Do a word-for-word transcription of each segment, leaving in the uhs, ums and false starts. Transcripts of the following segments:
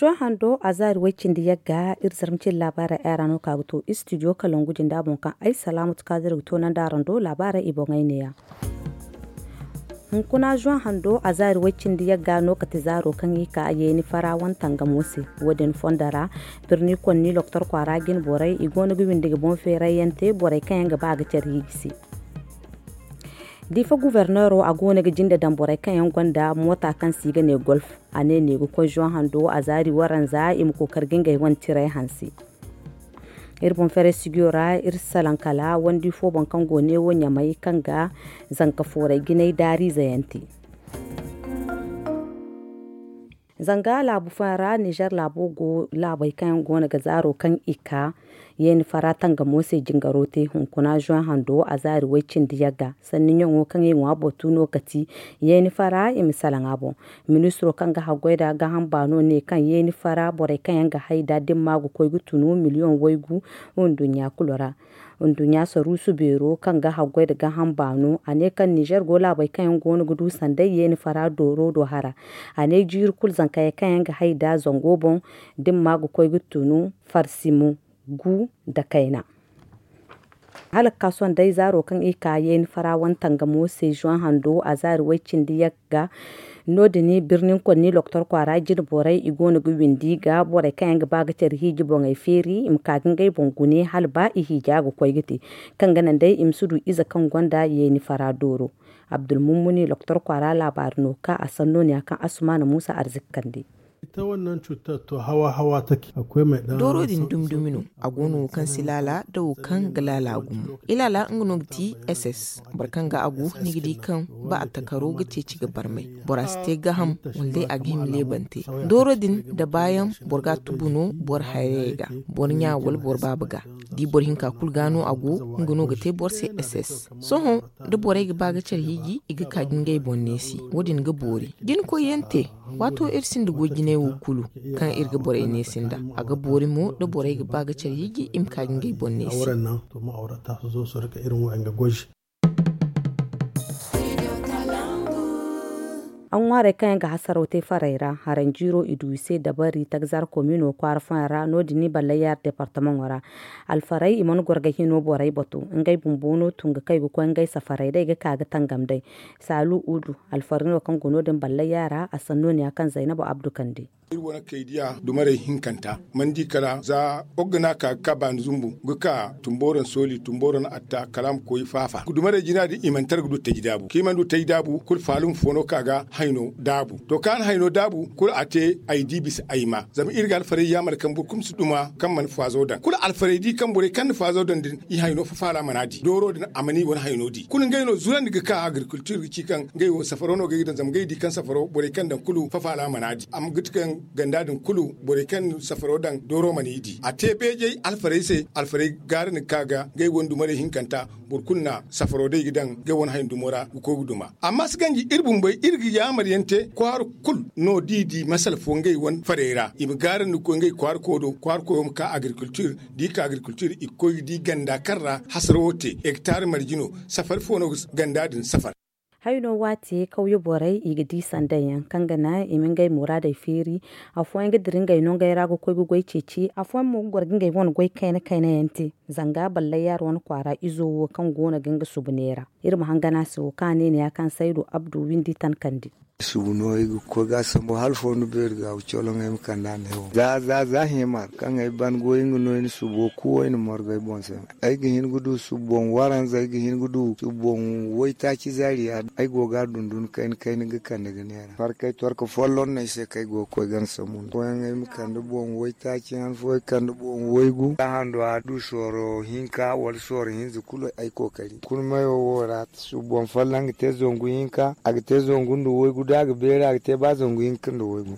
Sohõ hando a zaari way-cindi yagga iri zarma cindi laabaarey ay ra no ka ga to istidiyo kalangu jinda boŋ kaŋ ay salaamatu kaadir ga toonandi araŋ do laabaarey i boŋey neeya. Hunkuna zoŋ hando a zaari way-cindi yagga no kate zaaro kaŋ i ka yeeni fara wane tangamo se. Wo- din fondo ra birni konni loktor kwaara jine borey i go no ga windi ga boŋ feerayyaŋ te borey kaŋ yaŋ ga ba ga care hiiji se. Diifa guberneero a go no ga jinde daŋ borey kaŋ yaŋ gonda moota kaŋ se i ga ne golf. A ne ne ga koy zoŋ hando a zaari waranza i ma kookari ga ngey wane tiray hanse. Iri boŋ feeray sigiyo ra iri salaŋ kala wandi fo boŋ kaŋ go neewo ɲamay kaŋ ga zanka fooray jinay daariize yaŋ te. Zanga laabu fooyaŋ ra nizer laabo go laabey kaŋ yaŋ go no ga zaaro kaŋ i ka yeeni fara tangamo se jingaro te hunkuna zoŋ hando a zaari way-cindi yagga sanni ɲaŋo kaŋ i ŋwa batu no ga ti yeeni fara i ma salaŋ a boŋ. Ministiro kaŋ ga haggoy nda gaaham baano ne kaŋ yeeni fara borey kaŋ yaŋ ga hay nda dimma ga koy ga tunu miliyoŋ waygu nduɲɲa kulu ra. Nduɲɲa saruusu beero kaŋ ga haggoy nda gaaham baano a ne kaŋ nizer go laabey kaŋ yaŋ go no ga du sanday yeeni fara dooro do hara. A ne jiiri kulu zankayey kaŋ yaŋ ga hay nda zango boŋ dimma ga koy ga tunu farsimu gu nda kayna. Hala ga ka sohõ day zaaro kaŋ i ka yeeni fara wane tangamo se zoŋ hando a zaari way-cindi yagga. No- din birni konni loktor kwaara jine borey i go no ga windi ga borey kaŋ yaŋ ga ba ga care hiiji boŋey feeri i ma ka ga ngey boŋ gune hala ba i hiija ga koy ga te kaŋ ga naŋ day i ma si du ize kaŋ gonda yeeni fara dooro. Abdulmummuni loktor kwaara laabaari no ka a sanno ne ya kaŋ asumana muusa arziki kande. Dooro din dumi-dumi no. A go no wo kaŋ si laala nda wo kaŋ ga laala gumo. Ilaala nga no ga ti ss boro kaŋ ga a go ni ga di kaŋ ba a takaro ga ceeci ga barmay. Bora si te gaham wala day a ga hima leebante. Dooro din da baayaŋ boro ga a tubu no boro hayrayey ga, boro ɲa wala boro baaba ga. Da i boro hinka kulu ga no a go, nga no ga te boro se ss. Sohõ da borey ga ba ga care hiiji i ga ka ga ngey boŋ neesi. Wo- din ga boori da ni koy yaŋ te. Waato iri sinda goy jinay wo kulu kaŋ iri ga borey neesi nda, a ga boori mo da borey ga ba ga care hiiji i ma ka ga ngey boŋ neesi. A ŋwaarey kaŋ yaŋ ga hasaraw te farey ra haranjiiro i du i se dabari tagzar komino kwaara fooyaŋ ra no- din ni ballay yaara departamaŋo ra. Alfarey i mana goro ga hino borey batu ngey bumbo no tun ga kay ga koy ngey safarey day ga ka ga tangam day. Saalu udu alfari no kaŋ go no- din ballay yaara a sanno ne ya kaŋ zaynabu abdu kande. Iri wane kaydiya dumarey hinkanta mana di kala za boro ga ne a ka ga ka baani zumbu ga ka tumbooro na sooli tumbooro na atta kala a ma koy faafa dumarey jina din i mana tara ga du taji daabu kaŋ i mana du taji daabu kulu faalum fo no ka ga hayno daabu to kaŋ a na hayno daabu kulu a te ay di bisa ay ma zama iri ga alfarey yaamar kaŋ boro kulu ma si duma kaŋ mana faazo daŋ kulu alfarey di kaŋ borey kaŋ na faazo daŋ din i hayno fafaala mana di dooro din a mana i wane hayno di kulu ngey no zurandi ga ka agrikultir ga ci kaŋ ngey wo safaro no ga ay ga daŋ zama ngey di kaŋ safaro borey kaŋ daŋ kulu fafaala mana di amma ga ti kaŋ ganda din kulu borey kaŋ safaro daŋ dooro mana i di a te beejey alfarey se alfarey gaara ni ka ga ngey wane dumarey hinkanta boro kulu na safaro day ga daŋ ngey wane hayandumo ra ga koy ga duma amma si ganji iri bumbey iri ga yaamar yaŋ te kwaara kulu no da i di masala fo ngey wane farey ra i ma gaarandi ga koy ngey kwaara koyo do kwaara koyo ma ka agrikultir da i ka agrikultir i ga koy ga di ganda kaŋ ra hasaro wo te hektar marje no safari fo no ga ganda din safar. Hayno waati kawye borey i ga di sanday yaŋ kaŋ ga naŋ i ma ngey muraadey feeri. Afooyaŋ ga dira ngey nongey ra ga koy ga goy ceeci afooyaŋ mo ga goro ga ngey wane goy kayna kayna yaŋ te. Zanga ballay yaara wane kwaara izo wo kaŋ go no ga nga subu neera iri ma hangan a se wo kaŋ a ne ni ya kaŋ saydu abdu windi tankandi. Subu no ay ga koy ga sambu hala fondo beeri ga ga coloŋ ay ma kande a ne wo za za za himar kaŋ ay ban goy nga no ay na subo kuwo ay na margu ay boŋ se. Ay ga hin ga du subu boŋ waranza ay ga hin ga du subu boŋ waytaaci zaari ya ay go ga a dundun kayna kayna ga kande ga neera farkay torka folloŋ no ay se kaŋ ay go ga koy gana sambu nda fooyaŋ ay ma kande boŋ waytaaci han fo ay kande boŋ waygu za hando a du sooro hinka wala sooro hinza kulu ay kookari kulu mayo wo ra subu boŋ folloŋ ga te zangu hinka a ga te zangu nda waygu da a ga beeri a ga te ba zangu hinka nda waygu.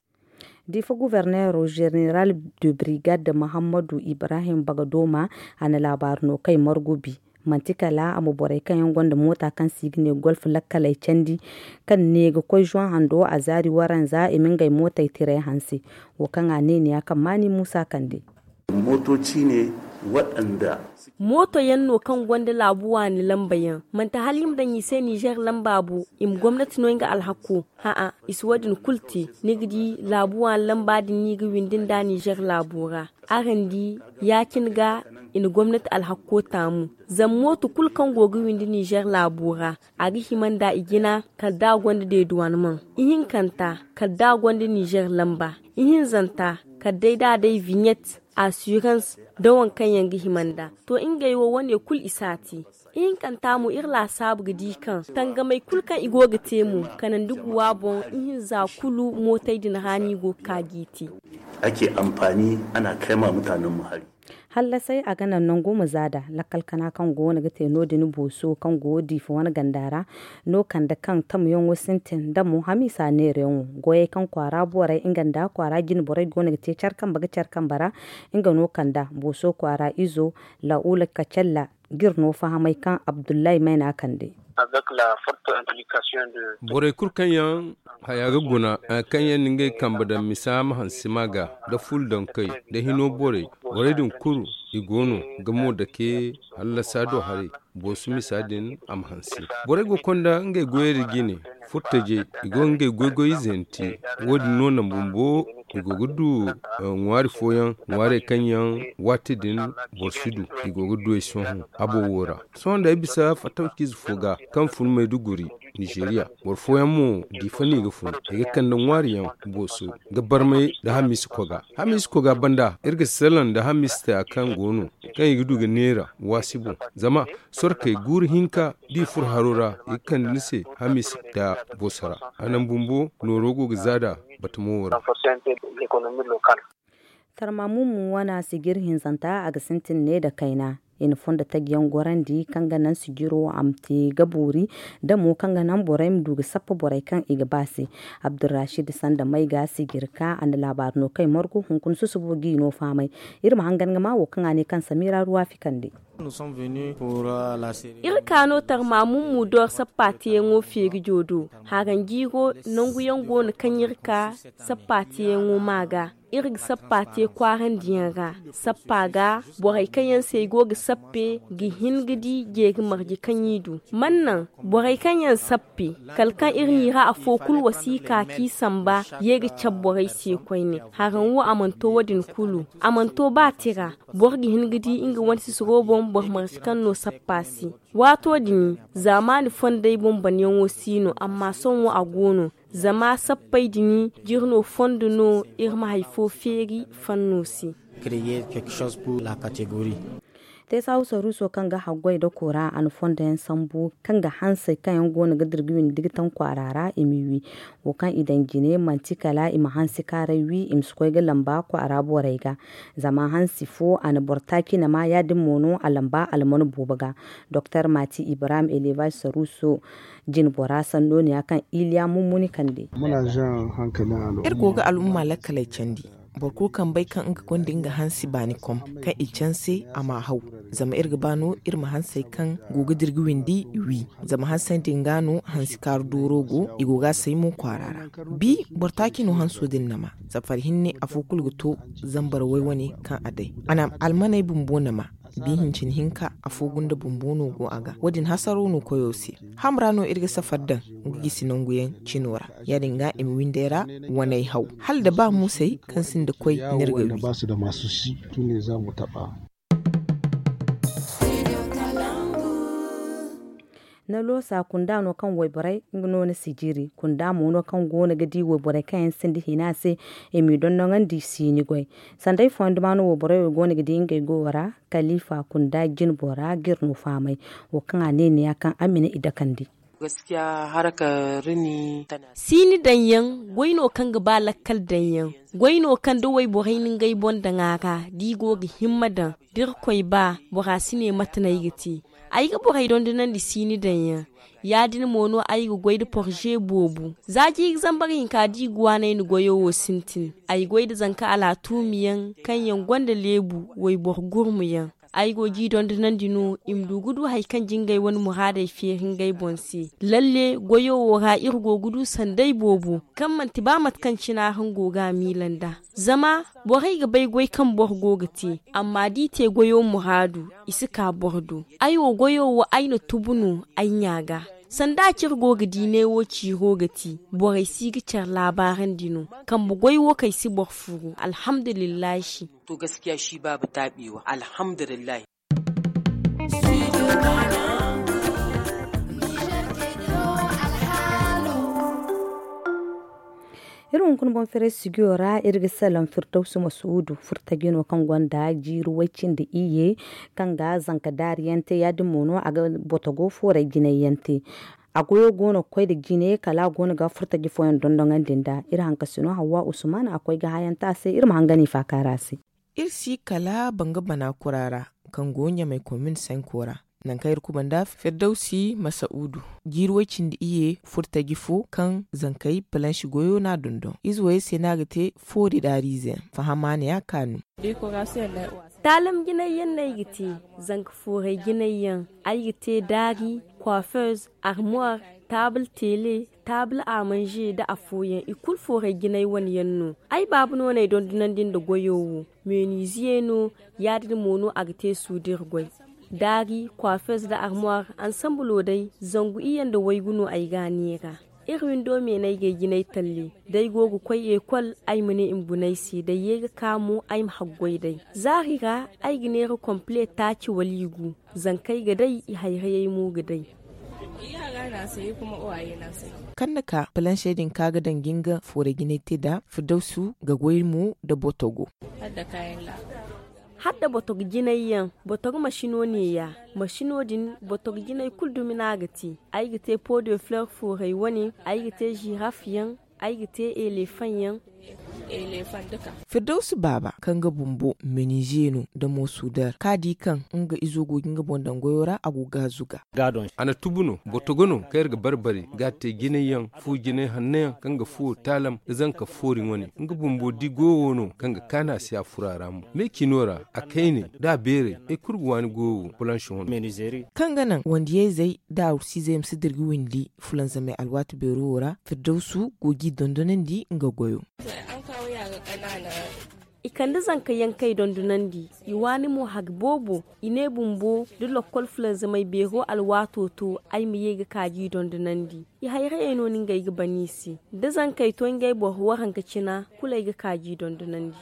Diifa guberneero zeneral de brigade muhammadu ibrahim bagadooma a na laabaari no kay margu bi. Manti kala a ma borey kaŋ yaŋ gonda moota kaŋ se i ga ne golf lakkaley candi kaŋ ne ga koy zoŋ hando a zaari waranza i ma ngey mootey tiray hanse. Wo kaŋ a ne ni ya kaŋ maani muusa kande. Mooto ciine Mooto yaŋ no kaŋ gonda laabu waani lamba yaŋ, manti hala i ma daŋ i se nizeer lamba bo. I ma gomnati no nga alhakko. Ha'a, i si wo- din kulu te. Ni ga di laabu waani lamba din no i ga windi nda nizeer laabo ra. Araŋ di, ya- cine ga i na gomnati alhakko taamu. Zama mooto kulu kaŋ go ga windi nizeer laabo ra, a ga hima nda i jina kala da a gonda deeduwaanimaŋ, ihinkanta kala da a gonda nizeer lamba, ihinzanta kala day da a day viɲet, asirans, nda waŋ kaŋ yaŋ ga hima nda. To, ngey wo wane kulu i si a te. Ihinkanta mo iri laasaabu ga di kaŋ tangamey kulu kaŋ i go ga te mo, kanandi guwa boŋ, ihinza kulu mootey din ra no i go ga ka g'i te. Ake amfani, ana kai ma mutanen mu hari. Hallasay a ga naŋ nango ma zaada lakkal kana kaŋ go no ga te no- din booso kaŋ go diifa wane ganda ra. No kande kaŋ tamyaŋo sintin da mo hamiisa neerayaŋo goyey kaŋ kwaara borey nga nda kwaara jine borey go no ga te care kambe ga care kambe ra. Nga no kanda booso kwaara izo, la'ula kacalla, ga iri no fahamay kaŋ abdullahi mayna kande. Borey kulu kaŋ yaŋ haya ga guna, kaŋ yaŋ na ngey kambe daŋ misa ma hansi ma ga, da ful daŋ kay, da hino borey, borey din kulu i go no ga mo dake hallasa do haray. Boosu misa din a ma hansi. Borey go konda ngey goyey da jine, furtajey, i go ngey goy-goy ize yaŋ te. Wo- din no naŋ bumbo i go ga du ŋwaari fooyaŋ, ŋwaarey kaŋ yaŋ waati din boro si du. I go ga du ay sohõ habo wo ra. Sohõ da ay bisa fattawciize fo ga kaŋ fun mayduguri, nizeeriya, boro fooyaŋ mo diifa no i ga fun, i ga kande ŋwaari yaŋ booso ga barmay nda hamiisa koga. Hamiisa koga banda iri ga salaŋ nda hamiisa taya kaŋ go no, kaŋ i ga du ga neera waasi boŋ. Zama sorkey guuru hinka da i furo haro ra, i ga kande ni se hamiisa taya booso ra. A naŋ bumbo nooro go ga zaada batamo wo ra. Tarmamummu wana sijir hinzanta a ga sintin ne nda kayna. I na fondo taji yaŋ gorandi kaŋ ga naŋ sijiro a ma te ga boori, da mo kaŋ ga naŋ borey ma du ga sappa borey kaŋ i ga ba se. Abdurrashid sanda may ga sijir ka a na laabaari no kay margu hunkuna susubo g'i no faamay. Iri ma hangan ga ma wo kaŋ a ne kaŋ samira ruwa fikandi. Iri ka no tarmamummu dor sappa teyaŋo feeri jodo. Haranjiiro nangu yaŋ go no kaŋ iri ka sappa teyaŋo ma ga. Iri ga sappa te kwaarandiyaŋ ra. Sappa ga borey kaŋ yaŋ se i go ga sappe ga hin ga di jeeri marje kaŋ i du. Man naŋ borey kaŋ yaŋ sappe kala kaŋ iri n'i ra afo kulu wasiika k'i samba ye ga cabe borey se koyne. Haraŋ wo a mana to wo- din kulu. A mana to ba tira. Boro ga hin ga di nga wane sisiro boŋ boro marje kaŋ no sappa se. Waato din zaamaani fondey boŋ banyaŋo si no amma sohõ a go no. Zama sappey din jiri no fondo no iri ma hari fo feeri fanno se. Teesahu saruuso kaŋ ga haggoy nda koora a na fondo yaŋ sambu kaŋ ga hansey kaŋ yaŋ go no ga dira ga windi ga taŋ kwaara ra i m'i wi. Wo kaŋ i daŋ jine manti kala i ma hansi kaaray wi i ma si koy ga lamba kwaara borey ga. Zama hansi fo a na boro taaci nama ya- din mo no a lamba alman boobo ga. Doktor mati ibrahim elevaz saruuso jinbora sanno ne ya kaŋ iliya mummuni kande. Iri go ga al'umma lakkaley candi. Boro kulu kaŋ bay kaŋ nga gonda nga hansi baani kom kaŋ i canse a ma haw. Zama iri ga ba no iri ma hansey kaŋ go ga dira ga windi wi. Zama hansey din ga no hansi kaaru dooro go i go ga a say mo kwaara ra. Bi boro taaci no hanso din nama. Safari hinne afo kulu ga to zambar way wane kaŋ a day a na almaney bumbo nama. Bi hincin hinka afo gunda bumbo no go a ga wo- din hasaro no koyo se. Hamra no iri ga safar daŋ nga gisi nangu yaŋ cino ra. Ya- din ga i ma windey ra waney haw hala da ba muusey kaŋ sinda koy n'iri ga wi. Na loosa kunda no kaŋ wayborey nga no na sijiri kunda mo no kaŋ go no ga di wayborey kaŋ yaŋ sinda hina se. I m'i dondoŋandi siini goy. Sanday fooyaŋ duma no wayborey wo go no ga di ngey goyo ra. Kalifa kunda jinbora ga iri no faamay. Wo kaŋ a ne neeya kaŋ a ma ne i dakandi. Siini daŋyaŋ goy no kaŋ ga ba lakkal daŋyaŋ. Goy no kaŋ da wayborey na ngey boŋ daŋ a ra da i go ga himma daŋ. Da iri koy ba bora si ne mate no ay ga te. Ay ga borey dondonandi siini daŋyaŋ. Ya- din mo no ay ga goy nda porze boobo za jiiri zambar hinka da i ga waanay ni goyo wo sintin. Ay goy nda zanka alaatuumi yaŋ kaŋ yaŋ gonda leebu wayboro gurmu yaŋ. Ay go g'i dondonandi no i ma du ga du hari kaŋ jingay wane muraadey feeri ngey boŋ se. Lalle goyo wo ra iri go ga du sanday boobo kaŋ manti ba mate kaŋ cine araŋ go ga a miila nd'a. Zama borey ga bay goy kaŋ boro go ga te, amma d'i te goyo muraadu, i si ka boro do. Ay wo goyo wo ay na tubu no ay ɲa ga. Sanda cire go ga di neewo ciiro ga ti, borey si ga care laabaarandi no. Kambe goy wo kaŋ ay si boro furu alhamdulillahi. To gaskiya shi baaba taabi wo alhamdulillahi. Iri hunkuna boŋ feeray sijiyo ra iri ga salaŋ firdawsu masuudu furtaji no kaŋ gonda jiiri way-cindi iyye, kaŋ ga zanka daari yaŋ te ya- din mo no a ga botogo fooray jinay yaŋ te. A goyo go no ga koy nda jine kala a go no ga furtaji fooyaŋ dondoŋandi nd'a. Iri hankasino hawwa usman a koy ga hayaŋ te a se iri ma hangan i faakaara se. Iri si kala banga bana kura ra, kaŋ go ɲamay komin sanko ra, nangu kaŋ iri kubanda firdawsi masa'udu, jiiri way-cindi iyye furtaji fo kaŋ zankey palansi goyo no a dondon ize wayey se no a ga te. Foori daariize yaŋ fahama ne a kaanu. Taalam jinay yaŋ no ay ga te, zanka fooray jinay yaŋ, ay ga te daari, kwaafeez, armuwar, taabul teele, taabul amanze nda afooyaŋ i kulu fooray jinay wane yaŋ no. Ay baaba no no ay dondonandi nda goyo wo, meeniiziye no. Ya- din mo no a ga te suudir goy, daari, kwaafeez nda armuwar. Ansambulo day zangu iyye nda waygu no ay ga a neera. Iri windo me no ay ga ay jinay talle, da ay go ga koy ekol ay ma ne i ma guna ay se da ay ye ga ka mo ay ma haggoy day. Zaari ra ay ga neera kompile taaci wala i gu. Zankey ga day i hayrayey mo ga day. Kaŋ na ka palansey din kaŋ a ga daŋ ga nga fooray jinay te nd'a firdawsu ga goy mo nda botogo. Hala da botogo jinay yaŋ, botogo masino neeya. Masino din botogo jinay kulu dumi no a ga te. Ay ga te po de fleur fooray wane, ay ga te ziraf yaŋ, ay ga te eleefaŋ yaŋ. Firdawsi baaba kaŋ ga bumbo menize no nda mo suudar kaŋ a di kaŋ nga izo go ga nga boŋ daŋ goyo ra a go ga a zuga. A na tubu no botogo no kaŋ iri ga barbari ga a te jinay yaŋ fu jinay hanno yaŋ kaŋ ga fuwo taalam nda zanka foori wane. Nga bumbo di goyo wo no kaŋ ga kaanu a se a furo a ra mo me cino ra a kayne da a beeray ay kulu ga waani goyo wo. Kaŋ ga naŋ wandiyayzey nda arusiizey ma si dirga windi fulanzamey alwaati beero wo ra firdawsu go g'i dondonandi nga goyo. I kande zanka yaŋ kaŋ ay dondonandi i waani mo hari boobo. I ne bumbo da lokkol fulanzamey beero alwaato to ay ma ye ga ka g'i dondonandi. I hayrayey no no ngey ga ban i se da zankey to ngey boro waranka cina kulu ay ga ka g'i dondonandi.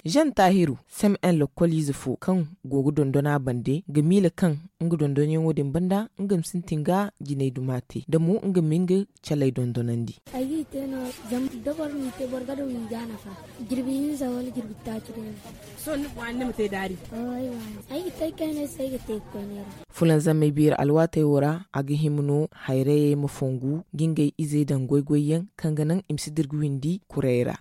Zan taahiru, sem en lokkoliize fo kaŋ go ga dondon a bande ga miila kaŋ nga dondonyaŋo din banda nga ma sintin ga jinay duma te da mo nga ma nga caley dondonandi. Ay g'i te no zama da boro m'i te boro ga daŋ i ga a nafa. Jirbi hinza wala jirbi taaci day no. Sohõ ni ga waani ni ma te daari? Ay ga te ay kaynay se ay ga te ga koy neera. Fulanzamey beeri alwaatey wo ra a ga hima no hayrayey ma fongu ga ngey izey daŋ goy-goy yaŋ kaŋ ga naŋ i ma si dirga windi kuray ra.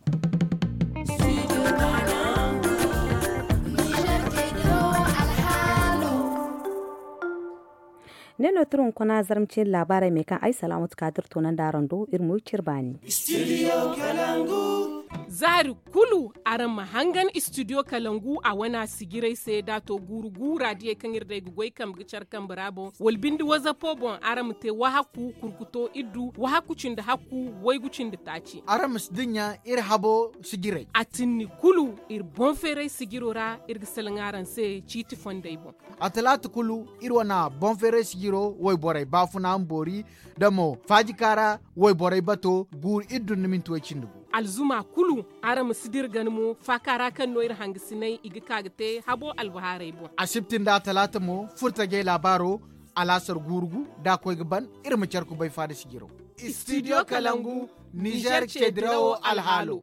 Ne no tira hunkuna zarma cine laabaarey me kaŋ ay salaamatu kaadir toonandi araŋ do iri ma wi cire baani. Zaari kulu araŋ ma hangan istidiyo kalangu a wane a sijirey se da a to guuru guura diyey kaŋ iri day ga goy kambe ga care kambe ra boŋ wala binde wazapo boŋ araŋ ma te wahakku kurkuto iddu wahakku cindi hakku waygu cindi taaci. Araŋ ma si dinya iri habo sijirey a tinni kulu iri boŋ feeray sijiro ra iri ga salaŋ araŋ se ciiti fondey boŋ. A talaata kulu iri wane boŋ feeray sijiro wayborey baafuna ma boori da mo faajikaara wayborey bato guuru iri dun ni minti way cindi gu. Alzuma kulu araŋ ma si dira gana mo faaka ra kaŋ no iri hangasinay i ga ka ga te habo albahaarey boŋ. Asibti nda a talaata mo furtajey laabaaro alaasar guuru gu da a koy ga ban iri ma care kubay faada sijiro. Istidiyo kalangu nizer ceedirawo alhaalo.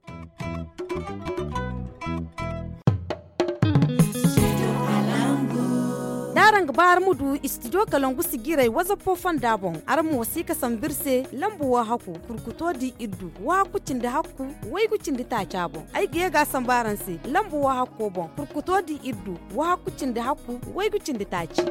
Da araŋ ga ba araŋ ma du istidiyo kalangu sijirey wazapo fonda boŋ araŋ ma wasiika sambu iri se lambu wahakku kurkuto di iddu wahakku cindi hakku waygu cindi taaca boŋ ay ga ye ga a sambu araŋ se lambu wahakko boŋ kurkuto di iddu wahakku cindi hakku waygu cindi taaci.